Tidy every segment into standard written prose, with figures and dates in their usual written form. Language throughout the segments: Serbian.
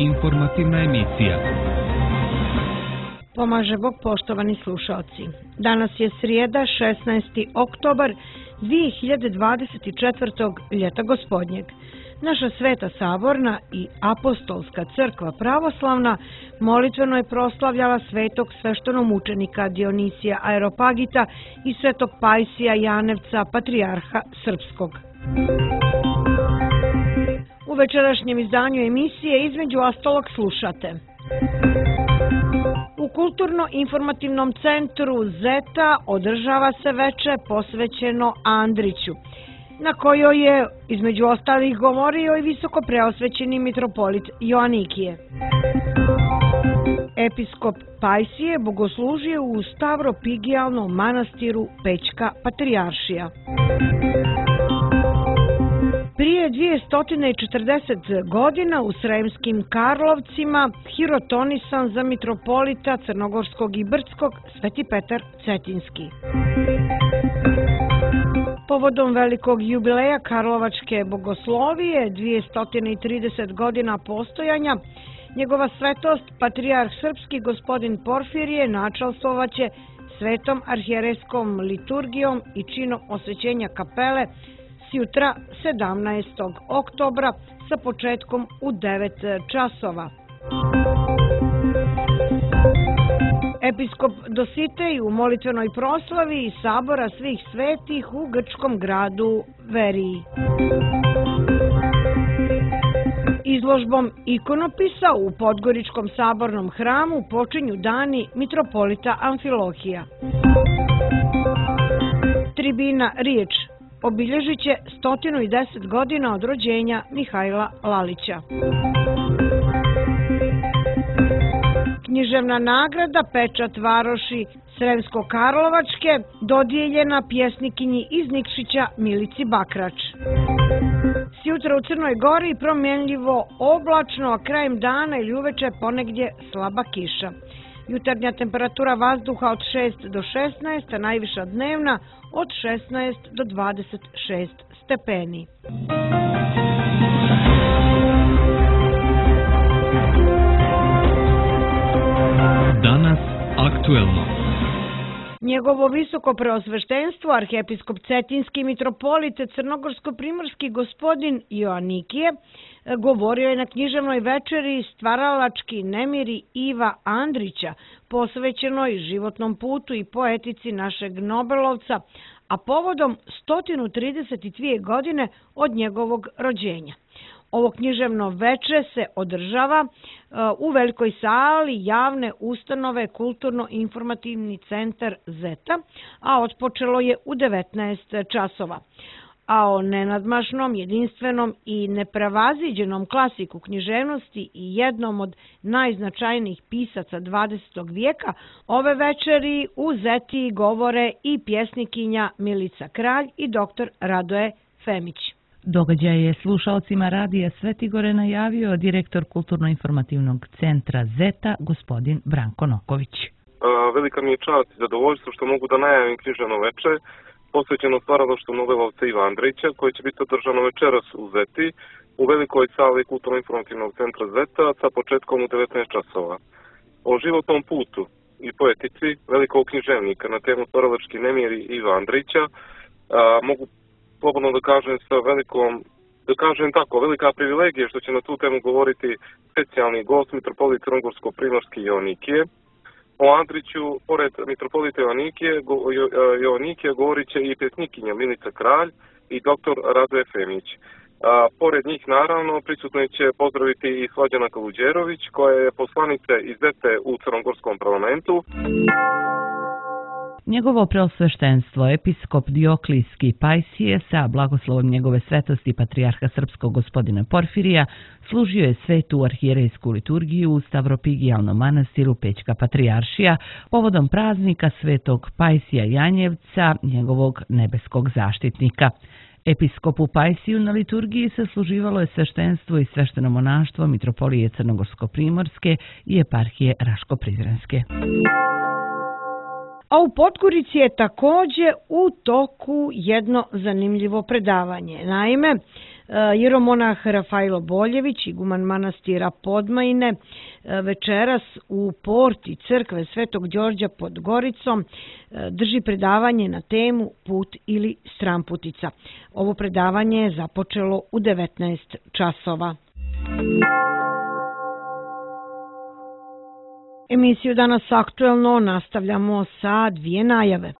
Informativna emisija. Pomaže Bog, poštovani slušalci. Danas je srijeda, 16. oktobar 2024. ljeta gospodnjeg. Naša Sveta Saborna i Apostolska crkva pravoslavna molitveno je proslavljala svetog sveštenomučenika Dionisija Areopagita i svetog Pajsija Janevca, patrijarha srpskog. U večerašnjem izdanju emisije između ostalog slušate. U Kulturno-informativnom centru Zeta održava se veče posvećeno Andriću, na kojoj je između ostalih govorio i visoko preosvećeni mitropolit Joanikije. Episkop Pajsije bogoslužio u Stavropigijalnom manastiru Pećka patrijaršija. Prije 240 godina u Sremskim Karlovcima hirotonisan za mitropolita Crnogorskog i Brdskog Sveti Petar Cetinski. Povodom velikog jubileja Karlovačke bogoslovije, 230 godina postojanja, njegova svetost, patrijarh srpski gospodin Porfirije, načalstvovaće svetom arhijerejskom liturgijom i činom osvećenja kapele sjutra 17. oktobra sa početkom u 9 časova. Episkop Dositej u molitvenoj proslavi Sabora svih svetih u grčkom gradu Veriji. Izložbom ikonopisa u Podgoričkom sabornom hramu počinju dani mitropolita Amfilohija. Tribina Riječ obilježit će 110 godina od rođenja Mihajla Lalića. Književna nagrada Pečat varoši Sremsko-Karlovačke dodijeljena pjesnikinji iz Nikšića Milici Bakrač. Sjutra u Crnoj Gori promjenljivo oblačno, a krajem dana ili uveče ponegdje slaba kiša. Jutarnja temperatura vazduha od 6 do 16, a najviša dnevna od 16 do 26 stepeni. Danas aktuelno. Njegovo visoko preosveštenstvo, arhijepiskop Cetinski mitropolit Crnogorsko-primorski gospodin Joanikije, govorio je na književnoj večeri Stvaralački nemiri Iva Andrića, posvećenoj životnom putu i poetici našeg Nobelovca, a povodom 132 godine od njegovog rođenja. Ovo književno veče se održava u velikoj sali javne ustanove Kulturno-informativni centar Zeta, a otpočelo je u 19 časova. A o nenadmašnom, jedinstvenom i neprevaziđenom klasiku književnosti i jednom od najznačajnijih pisaca 20. vijeka ove večeri u Zeti govore i pjesnikinja Milica Kralj i dr. Radoje Femić. Događaj je slušalcima radija Svetigore najavio direktor Kulturno-informativnog centra Zeta, gospodin Branko Noković. Velika mi je čast i zadovoljstvo što mogu da najavim književno veče posvećeno stvaralaštvu Nobelovca Iva Andrića, koje će biti održano večeras u Zeti, u velikoj sali Kulturno-informativnog centra Zeta sa početkom u 19 časova. O životnom putu i poetici velikog književnika na temu Stvaralački nemiri Iva Andrića mogu slobodno da kažem sa velika privilegija što će na tu temu govoriti specijalni gost mitropolit Crnogorsko-primorski Joanikije. O Andriću, pored mitropolita Joanikije, govorit će i pjesnikinja Milica Kralj i dr. Radoje Femić. Pored njih, naravno, prisutno će pozdraviti i Slađana Kaluđerović, koja je poslanica iz Zete u Crnogorskom parlamentu. Njegovo preosveštenstvo, episkop Dioklijski Pajsije, sa blagoslovom njegove svetosti patrijarha srpskog gospodina Porfirija, služio je svetu arhijerejsku liturgiju u Stavropigijalnom manastiru Pećka patrijaršija povodom praznika svetog Pajsija Janjevca, njegovog nebeskog zaštitnika. Episkopu Pajsiju na liturgiji sasluživalo je sveštenstvo i svešteno monaštvo mitropolije Crnogorsko-primorske i eparhije Raško-Prizrenske. A u Podgorici je takođe u toku jedno zanimljivo predavanje. Naime, jeromonah Rafajlo Boljević, iguman manastira Podmajine, večeras u porti crkve Svetog Đorđa pod Goricom drži predavanje na temu Put ili Stramputica. Ovo predavanje je započelo u 19 časova. Emisiju Danas aktuelno nastavljamo sa dvije najave.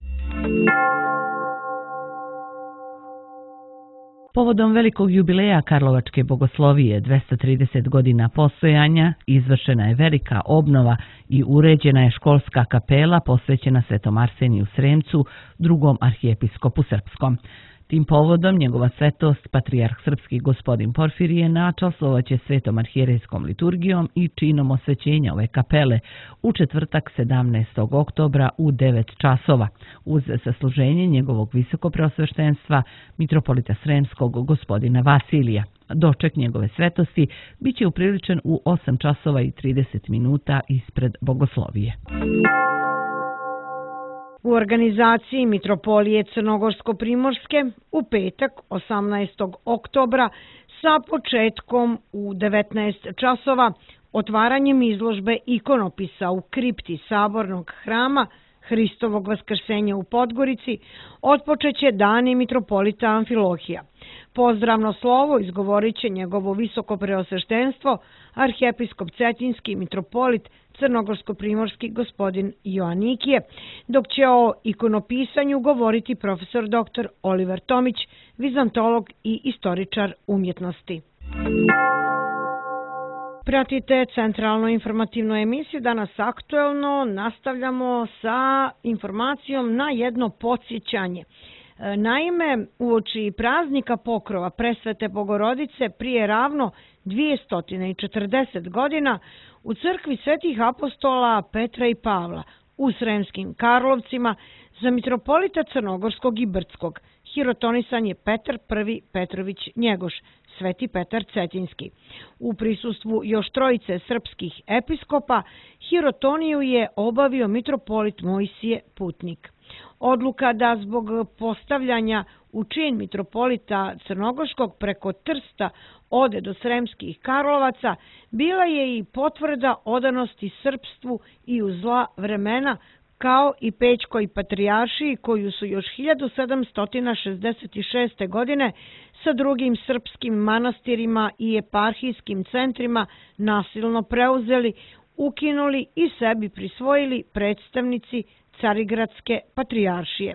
Povodom velikog jubileja Karlovačke bogoslovije 230 godina postojanja izvršena je velika obnova i uređena je školska kapela posvećena Svetom Arseniju Sremcu, drugom arhijepiskopu srpskom. Tim povodom njegova svetost, patrijarh srpski gospodin Porfirije, načaslovaće svetom arhijerejskom liturgijom i činom osvećenja ove kapele u četvrtak 17. oktobra u 9 časova, uz sasluženje njegovog visokopreosveštenstva mitropolita Sremskog gospodina Vasilija. Doček njegove svetosti biće upriličen u 8 časova i 30 minuta ispred bogoslovije. U organizaciji Mitropolije Crnogorsko-Primorske u petak 18. oktobra sa početkom u 19 časova otvaranjem izložbe ikonopisa u kripti Sabornog hrama Hristovog vaskrsenja u Podgorici otpočeće dani mitropolita Amfilohija. Pozdravno slovo izgovorit će njegovo visokopreosveštenstvo, arhijepiskop Cetinski mitropolit Crnogorsko-Primorski gospodin Joanikije, dok će o ikonopisanju govoriti profesor dr. Oliver Tomić, vizantolog i istoričar umjetnosti. Pratite centralnu informativnu emisiju Danas aktuelno. Nastavljamo sa informacijom na jedno podsjećanje. Naime, uoči praznika Pokrova Presvete Bogorodice prije ravno 240 godina u crkvi svetih apostola Petra i Pavla u Sremskim Karlovcima za mitropolita Crnogorskog i Brdskog hirotonisan je Petar I Petrović Njegoš, Sveti Petar Cetinski. U prisustvu još trojice srpskih episkopa hirotoniju je obavio mitropolit Mojsije Putnik. Odluka da zbog postavljanja u čin mitropolita Crnogorskog preko Trsta ode do Sremskih Karlovaca bila je i potvrda odanosti srpstvu i u zla vremena, kao i Pećkoj patrijaršiji koju su još 1766. godine sa drugim srpskim manastirima i eparhijskim centrima nasilno preuzeli, ukinuli i sebi prisvojili predstavnici Carigradske patrijaršije.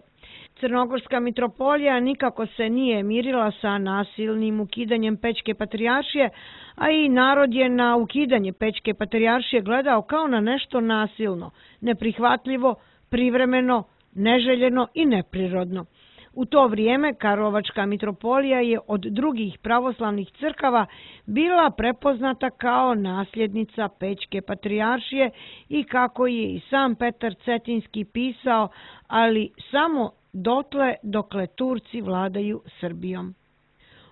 Crnogorska mitropolija nikako se nije mirila sa nasilnim ukidanjem Pećke patrijaršije, a i narod je na ukidanje Pećke patrijaršije gledao kao na nešto nasilno, neprihvatljivo, privremeno, neželjeno i neprirodno. U to vrijeme Karlovačka mitropolija je od drugih pravoslavnih crkava bila prepoznata kao nasljednica Pećke patrijaršije i kako je i sam Petar Cetinski pisao, ali samo dotle dokle Turci vladaju Srbijom.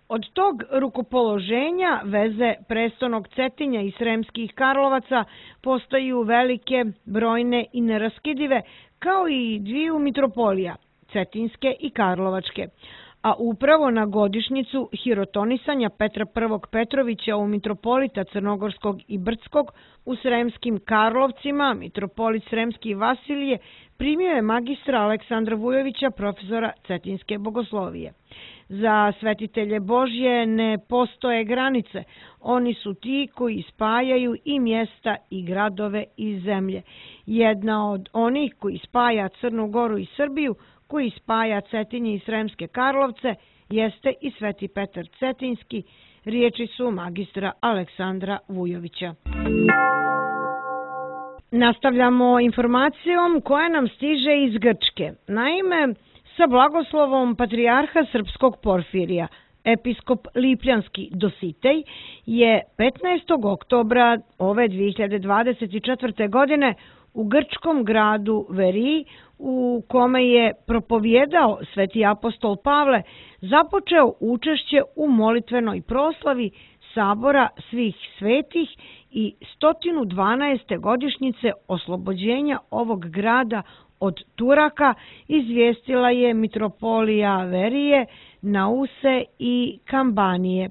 Od tog rukopoloženja veze prestonog Cetinja i Sremskih Karlovaca postaju velike, brojne i neraskidive, kao i dviju mitropolija, Cetinske i Karlovačke. A upravo na godišnjicu hirotonisanja Petra I Petrovića u mitropolita Crnogorskog i Brdskog u Sremskim Karlovcima, mitropolit Sremski Vasilije primio je magistra Aleksandra Vujovića, profesora Cetinske bogoslovije. Za svetitelje Božje ne postoje granice, oni su ti koji spajaju i mjesta i gradove i zemlje. Jedna od onih koji spaja Crnu Goru i Srbiju, koji spaja Cetinje i Sremske Karlovce, jeste i Sveti Petar Cetinski, riječi su magistra Aleksandra Vujovića. Nastavljamo informacijom koja nam stiže iz Grčke. Naime, sa blagoslovom patrijarha srpskog Porfirija, episkop Lipljanski Dositej je 15. oktobra ove 2024. godine u grčkom gradu Veriji, u kome je propovjedao sveti apostol Pavle, započeo učešće u molitvenoj proslavi Sabora svih svetih i 112. godišnjice oslobođenja ovog grada od Turaka, izvijestila je mitropolija Verije, Nause i Kambanije.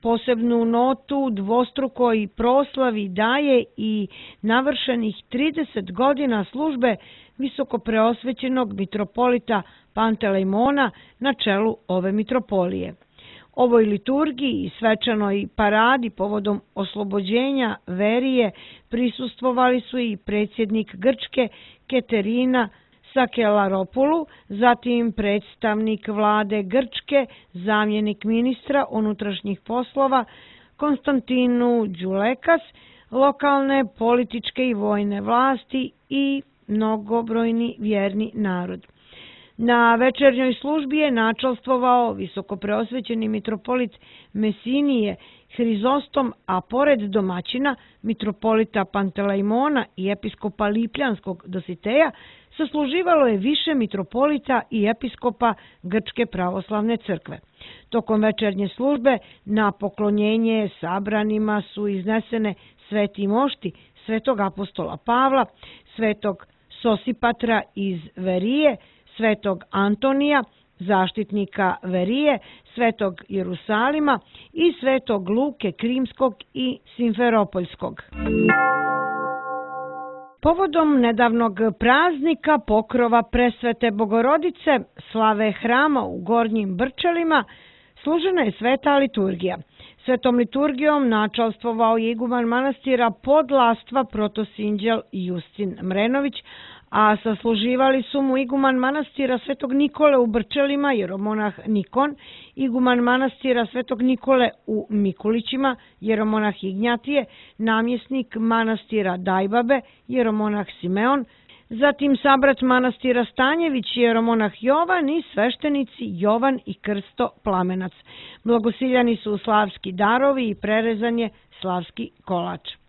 Posebnu notu dvostrukoj proslavi daje i navršenih 30 godina službe visokopreosvećenog mitropolita Pantelejmona na čelu ove mitropolije. Ovoj liturgiji i svečanoj paradi povodom oslobođenja Verije prisustvovali su i predsjednik Grčke Keterina Sakelaropulu, zatim predstavnik vlade Grčke, zamjenik ministra unutrašnjih poslova Konstantinu Đulekas, lokalne političke i vojne vlasti i mnogobrojni vjerni narod. Na večernjoj službi je načalstvovao visokopreosvećeni mitropolit Mesinije Hrizostom, a pored domaćina mitropolita Pantelejmona i episkopa Lipljanskog Dositeja sasluživalo je više mitropolita i episkopa Grčke pravoslavne crkve. Tokom večernje službe na poklonjenje sabranima su iznesene sveti mošti svetog apostola Pavla, svetog Sosipatra iz Verije, svetog Antonija, zaštitnika Verije, svetog Jerusalima i svetog Luke Krimskog i Simferopoljskog. Povodom nedavnog praznika pokrova Presvete Bogorodice, slave hrama u Gornjim Brčelima, služena je sveta liturgija. Svetom liturgijom načalstvovao je iguman manastira Podlastva protosinđel Justin Mrenović, a sasluživali su mu iguman manastira Svetog Nikole u Brčelima, jeromonah Nikon, iguman manastira Svetog Nikole u Mikulićima, jeromonah Ignjatije, namjesnik manastira Dajbabe, jeromonah Simeon, zatim sabrat manastira Stanjević, jeromonah Jovan i sveštenici Jovan i Krsto Plamenac. Blagosiljani su slavski darovi i prerezan je slavski kolač.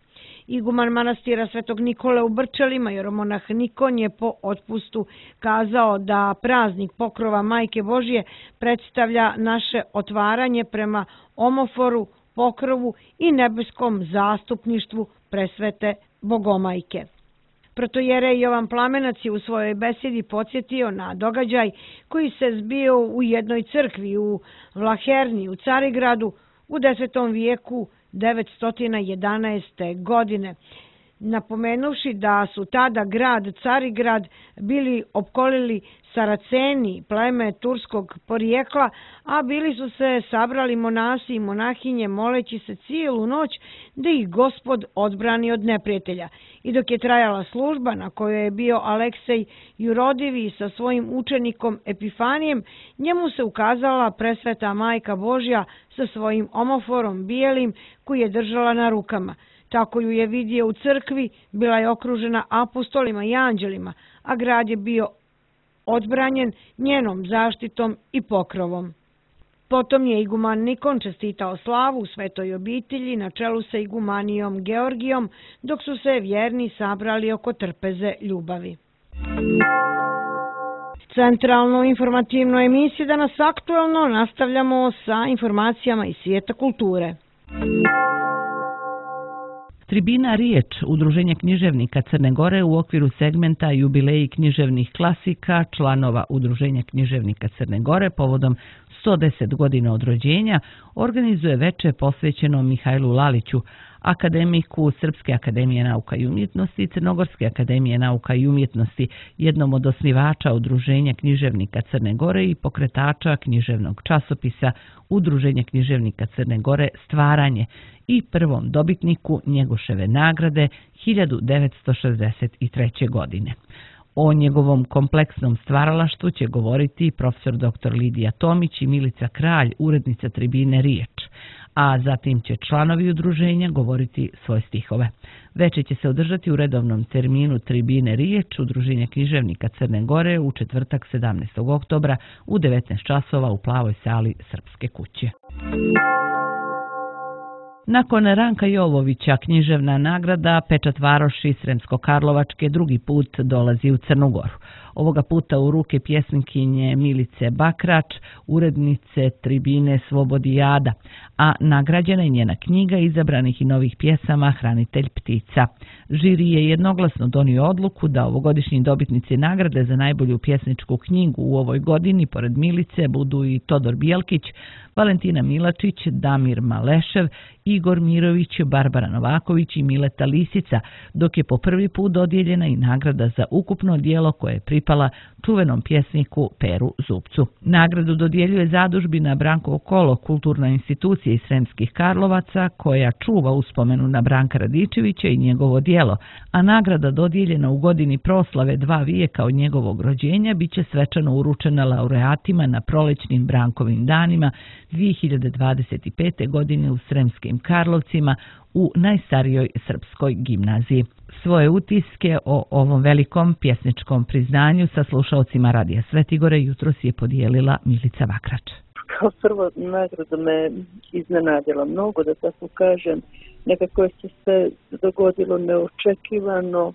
Iguman manastira Svetog Nikole u Brčelima, jeromonah Nikon, je po otpustu kazao da praznik pokrova Majke Božje predstavlja naše otvaranje prema omoforu, pokrovu i nebeskom zastupništvu presvete Bogomajke. Protojerej Jovan Plamenac je u svojoj besedi podsjetio na događaj koji se zbio u jednoj crkvi u Vlaherni u Carigradu u 10. vijeku 911. godine, napomenuvši da su tada grad Carigrad bili opkolili Saraceni, pleme turskog porijekla, a bili su se sabrali monasi i monahinje moleći se cijelu noć da ih Gospod odbrani od neprijatelja. I dok je trajala služba na kojoj je bio Aleksej Jurodivi sa svojim učenikom Epifanijem, njemu se ukazala presveta Majka Božja sa svojim omoforom bijelim koji je držala na rukama. Tako ju je vidio u crkvi, bila je okružena apostolima i anđelima, a grad je bio odbranjen njenom zaštitom i pokrovom. Potom je iguman Nikon čestitao slavu u svetoj obitelji na čelu sa igumanijom Georgijom, dok su se vjerni sabrali oko trpeze ljubavi. Centralno informativno emisiju Danas aktuelno nastavljamo sa informacijama iz svijeta kulture. Tribina Riječ, Udruženje književnika Crne Gore u okviru segmenta Jubileji književnih klasika članova Udruženja književnika Crne Gore povodom 110 godina od rođenja, organizuje veče posvećeno Mihajlu Laliću, akademiku Srpske akademije nauka i umjetnosti i Crnogorske akademije nauka i umjetnosti, jednom od osnivača Udruženja književnika Crne Gore i pokretača književnog časopisa Udruženja književnika Crne Gore Stvaranje i prvom dobitniku Njegoševe nagrade 1963. godine. O njegovom kompleksnom stvaralaštvu će govoriti profesor dr. Lidija Tomić i Milica Kralj, urednica Tribine Riječ, a zatim će članovi udruženja govoriti svoje stihove. Veče će se održati u redovnom terminu Tribine Riječ, Udruženja književnika Crne Gore u četvrtak 17. oktobra u 19 časova u Plavoj sali Srpske kuće. Nakon Ranka Jovovića, književna nagrada Pečat Varoši Sremsko-Karlovačke drugi put dolazi u Crnu Goru. ovoga puta u ruke pjesnikinje Milice Bakrač, urednice tribine Slobodijada, a nagrađena je njena knjiga izabranih i novih pjesama Hranitelj ptica. Žiri je jednoglasno donio odluku da ovogodišnji dobitnici nagrade za najbolju pjesničku knjigu u ovoj godini, pored Milice, budu i Todor Bjelkić, Valentina Milačić, Damir Malešev, Igor Mirović, Barbara Novaković i Mileta Lisica, dok je po prvi put dodijeljena i nagrada za ukupno djelo koje je pripala čuvenom pjesniku Peru Zupcu. Nagradu dodjeljuje zadužbina Brankovo kolo, kulturna institucija iz Sremskih Karlovaca, koja čuva uspomenu na Branka Radičevića i njegovo djelo, a nagrada dodijeljena u godini proslave 2 vijeka od njegovog rođenja biće svečano uručena laureatima na prolećnim Brankovim danima 2025. godine u Sremskim Karlovcima u najstarijoj srpskoj gimnaziji. Svoje utiske o ovom velikom pjesničkom priznanju sa slušalcima Radija Svetigore jutros je podijelila Milica Bakrač. Kao prvo, nagrada me iznenadila mnogo, da tako kažem. Nekako je se sve dogodilo neočekivano.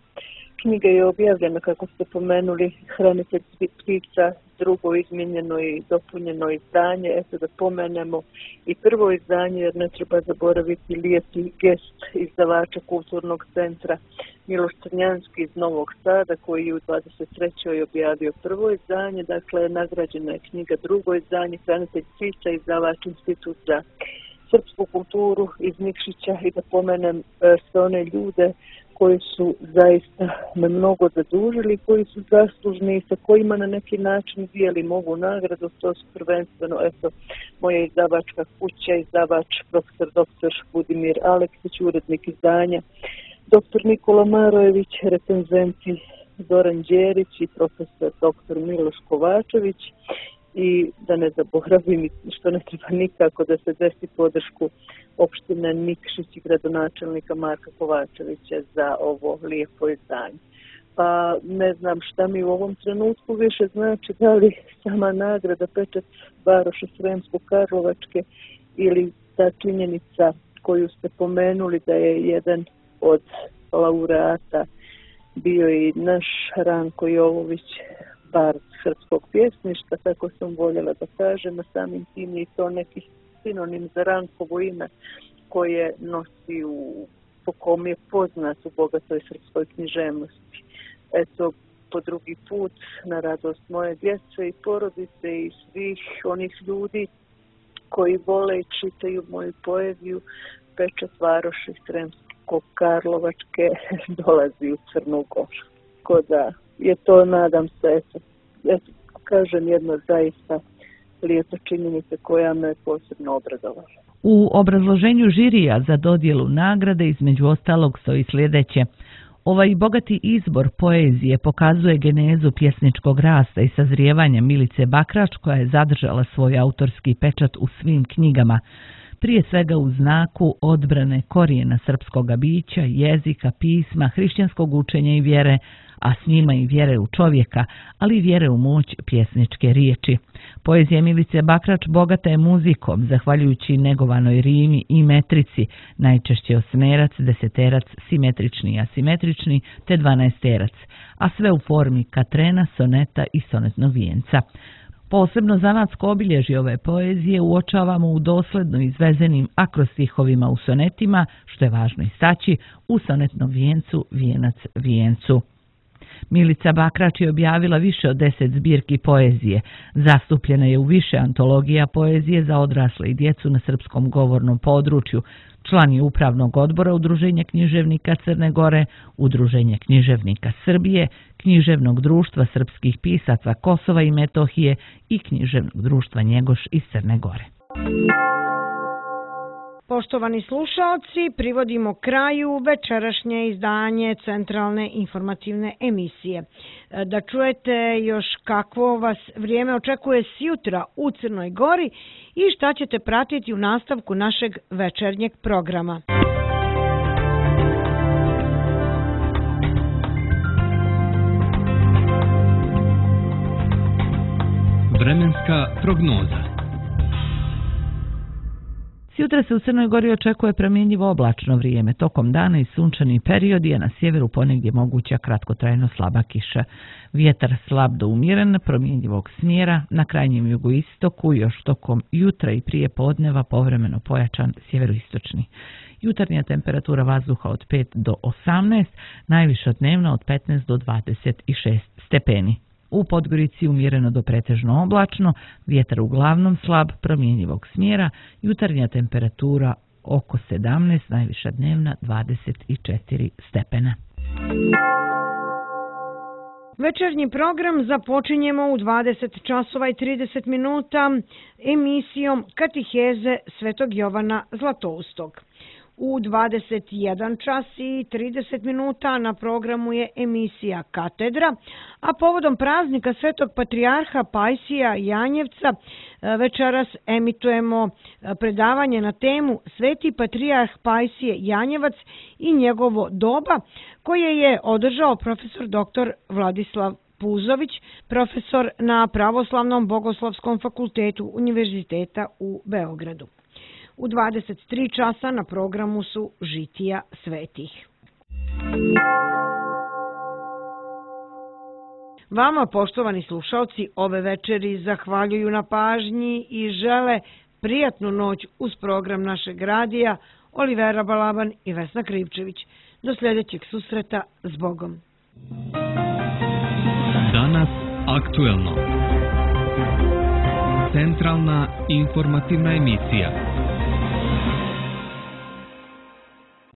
Knjiga je objavljena, kako ste pomenuli, Hranitelj ptica, drugo izmijenjeno i dopunjeno izdanje. Eto da pomenemo i prvo izdanje, jer ne treba zaboraviti lijepi gest izdavača Kulturnog centra Miloš Crnjanski iz Novog Sada, koji je u 23. objavio prvo izdanje. Dakle, nagrađena je knjiga drugo izdanje, Hranitelj ptica, izdavač Institut za srpsku kulturu iz Nikšića, i da pomenem sve one ljude koji su zaista me mnogo zadužili, koji su zaslužni i sa kojima na neki način dijelim ovu nagradu. To su prvenstveno moja izdavačka kuća, izdavač profesor dr. Budimir Aleksić, urednik izdanja, dr. Nikola Marojević, recenzenti Zoran Đerić i profesor dr. Miloš Kovačević, i da ne zaboravim, što ne treba nikako, da se desi podršku opštine Nikšić i gradonačelnika Marka Kovačevića za ovo lijepo izdanje. Pa ne znam šta mi u ovom trenutku više znači, da li sama nagrada pečat Varoše Sremsko-Karlovačke ili ta činjenica koju ste pomenuli da je jedan od laureata bio i naš Ranko Jovović, bard srpskog pjesništva, tako sam voljela da kažem, a samim tim je to neki sinonim za Rankovo ime koje nosi po kom je poznat u bogatoj srpskoj književnosti. Eto, po drugi put, na radost moje djece i porodice i svih onih ljudi koji vole i čitaju moju poeziju, pečat Varoši Sremsko-Karlovačke dolazi u Crnu Goru. Tako da je to, nadam se, eto, kažem, jedna zaista lijepa činjenica koja me posebno obradovala. U obrazloženju žirija za dodjelu nagrade između ostalog stoji sljedeće. Ovaj bogati izbor poezije pokazuje genezu pjesničkog rasta i sazrijevanja Milice Bakrač, koja je zadržala svoj autorski pečat u svim knjigama, prije svega u znaku odbrane korijena srpskoga bića, jezika, pisma, hrišćanskog učenja i vjere, a s njima i vjere u čovjeka, ali i vjere u moć pjesničke riječi. Poezija Milice Bakrač bogata je muzikom, zahvaljujući negovanoj rimi i metrici, najčešće osmerac, deseterac, simetrični i asimetrični, te 12-terac, a sve u formi katrena, soneta i sonetnog vijenca. Posebno zanatsko obilježje ove poezije uočavamo u dosledno izvezenim akrostihovima u sonetima, što je važno istaći, u sonetnom vijencu, vijenac vijencu. Milica Bakrač je objavila više od 10 zbirki poezije. Zastupljena je u više antologija poezije za odrasle i djecu na srpskom govornom području. Član je upravnog odbora Udruženja književnika Crne Gore, Udruženja književnika Srbije, Književnog društva srpskih pisaca Kosova i Metohije i Književnog društva Njegoš iz Crne Gore. Poštovani slušalci, privodimo kraju večerašnje izdanje Centralne informativne emisije. Da čujete još kakvo vas vrijeme očekuje sjutra u Crnoj Gori i šta ćete pratiti u nastavku našeg večernjeg programa. Vremenska prognoza. Sutra se u Crnoj Gori očekuje promjenjivo oblačno vrijeme. Tokom dana i sunčani periodi, a na sjeveru ponegdje moguća kratkotrajno slaba kiša. Vjetar slab do umjeren, promjenjivog smjera, na krajnjem jugoistoku još tokom jutra i prije podneva povremeno pojačan sjeveroistočni. Jutarnja temperatura vazduha od 5 do 18, najviša dnevna od 15 do 26 stepeni. U Podgorici umjereno do pretežno oblačno, vjetar uglavnom slab, promjenjivog smjera, jutarnja temperatura oko 17, najviša dnevna 24 stepena. Večernji program započinjemo u 20 časova i 30 minuta emisijom Katiheze Svetog Jovana Zlatoustog. U 21 čas i 30 minuta na programu je emisija Katedra, a povodom praznika Svetog patrijarha Pajsija Janjevca večeras emitujemo predavanje na temu Sveti patrijarh Pajsije Janjevac i njegovo doba, koje je održao profesor dr. Vladislav Puzović, profesor na Pravoslavnom bogoslovskom fakultetu Univerziteta u Beogradu. U 23 časa na programu su Žitija svetih. Vama, poštovani slušalci, ove večeri zahvaljuju na pažnji i žele prijatnu noć uz program našeg radija Olivera Balaban i Vesna Krivčević. Do sljedećeg susreta, s Bogom. Danas aktuelno. Centralna informativna emisija.